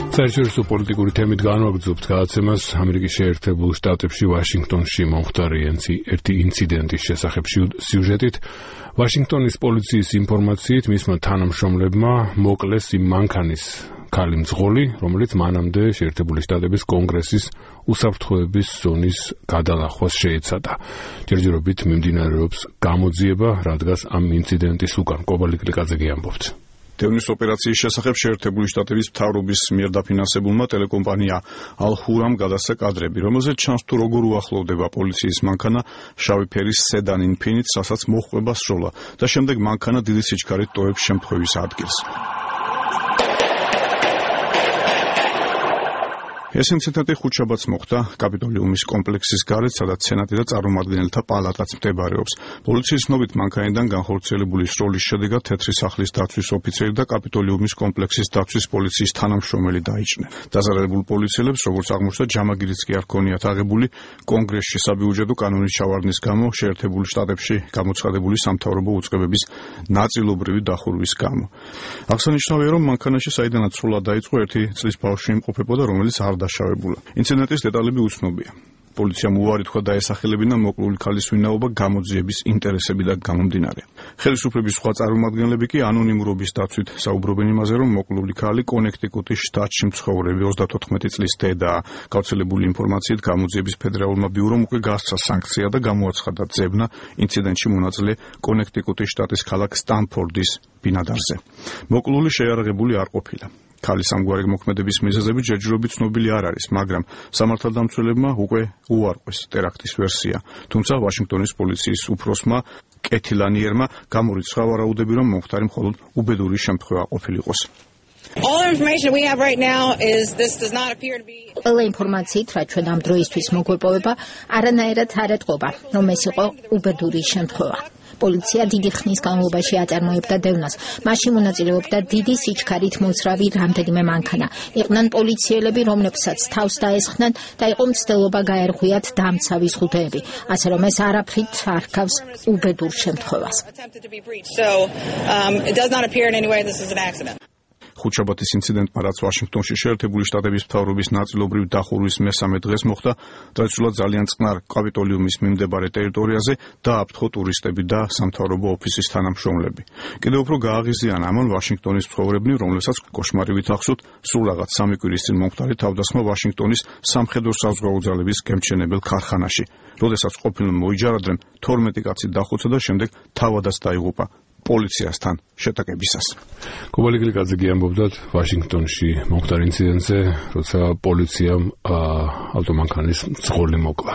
საერთაშორისო პოლიტიკური თემით განვაგრძობთ გადაცემას ამერიკის შეერთებულ შტატებში ვაშინგტონში მომხდარი ერთი ინციდენტის შესახებ სიუჟეტით. ვაშინგტონის პოლიციის ინფორმაციით მისმა თანამშრომლებმა მოკლეს იმ მანქანის ქალი მძღოლი, რომელიც მანამდე შეერთებული შტატების კონგრესის უსაფრთხოების ზონის გადალახვას შეეცადა. ჯერჯერობით მიმდინარეობს გამოძიება, რადგან ამ ინციდენტის უკან კობალიკლიკაძე ამბობთ. დევნის ოპერაციის შესახებ შეერთებული შტატების მთავრობის მიერ დაფინანსებულმა ტელეკომპანია ალჰურამ გადასცა კადრები, რომელზეც ჩანს თუ როგორ უახლოვდება პოლიციის მანქანა შავი ფერის სედან ინფინით, რასაც მოჰყვება სროლა და შემდეგ მანქანა დიდი სიჩქარით ტოვებს შემთხვევის ადგილს. ეს ინციდენტი ხუთშაბათს მოხდა კაპიტოლიუმის კომპლექსის გარეთ, სადაც სენატი და წარმომადგენელთა პალატაც მდებარეობს. პოლიციის ცნობით მანქანიდან განხორციელებული სროლის შედეგად თეთრი სახლის დაცვის ოფიცერი და კაპიტოლიუმის კომპლექსის დაცვის პოლიციის თანამშრომელი დაიჭრნენ. დაზარალებულ პოლიციელებს, როგორც აღმოჩნდა, ჯამაგირიც კი არ ჰქონიათ აღებული კონგრესში საბიუჯეტო კანონის ჩავარდნის გამო, შეერთებულ შტატებში გამოცხადებული სამთავრობო უწყებების ნაწილობრივი დახურვის გამო. აღსანიშნავია, რომ მანქანაში საიდანაც სროლა დაიწყო, ერთი წლის ბავშვი იმყოფებოდა, რომელიც არ დაშავებულა. ინციდენტის დეტალები უცნობია. პოლიციამ უარი თქვა დაესახელებინა მოკლული ქალის ვინაობა გამოძიების ინტერესებიდან გამომდინარე. ხელისუფლების სხვა წარმომადგენლები კი ანონიმურობის დაცვით საუბრობენ იმაზე, რომ მოკლული ქალი კონექტიკუტის შტატში მცხოვრები 34 წლის დედაა. გავრცელებული ინფორმაციით გამოძიების ფედერალურმა ბიურომ უკვე გასცა სანქცია და გამოაცხადა ძებნა ინციდენტში მონაწილე კონექტიკუტის შტატის ქალაქ სტანფორდის ბინადარზე. მოკლული შეიარაღებული არ ყოფილა. ქალის ამგვარი მოქმედების მიზეზები ჯერჯერობით ცნობილი არ არის, მაგრამ სამართალდამცველებმა უკვე უარყვეს ტერაქტის ვერსია. თუმცა ვაშინგტონის პოლიციის უფროსმა კეთილანიერმა გამორიცხა ვარაუდები, რომ მომხდარი მხოლოდ უბედური შემთხვევა ყოფილიყოს. ყველა ინფორმაციით, რაც ჩვენ ამ დროისთვის მოგვეპოვება, არანაირად არ ეტყობა, რომ ეს იყო უბედური შემთხვევა. პოლიცია დიდი ხნის განმავლობაში აწარმოებდა დევნას. მასში მონაწილეობდა დიდი სიჩქარით მოძრავი რამდენიმე მანქანა. იყვნენ პოლიციელები, რომლებსაც თავს დაესხნენ და იყო მცდელობა გაერღვიათ დამცავი ზღუდეები. ასე რომ ეს არაფრით არ ჰგავს უბედურ შემთხვევას. ხუთშაბათის ინციდენტმა, რაც ვაშინგტონში შეერთებული შტატების მთავრობის ნაწილობრივ დახურვის მესამე დღეს მოხდა, ტრადიციულად ძალიან წყნარ კაპიტოლიუმის მიმდებარე ტერიტორიაზე დააფრთხო ტურისტები და სამთავრობო ოფისის თანამშრომლები. კიდევ უფრო გააღიზიანა ამან ვაშინგტონის მცხოვრებნი, რომლებსაც კოშმარივით ახსოვთ სულ რაღაც 3 კვირის წინ მომხდარი თავდასხმა ვაშინგტონის სამხედრო-საზღვაო ძალების გემთჩენებელ ქარხანაში. როდესაც ყოფილმა მოიჯარադրენ, 12 კაცი დახოცა და შემდეგ თავადაც დაიღუპა პოლიციასთან შეტაკებისას. კობალიკლიკაძე ამბობდათ ვაშინგტონში მომხდარ ინციდენტზე, როცა პოლიციამ ავტომანქანის მძღოლი მოკლა.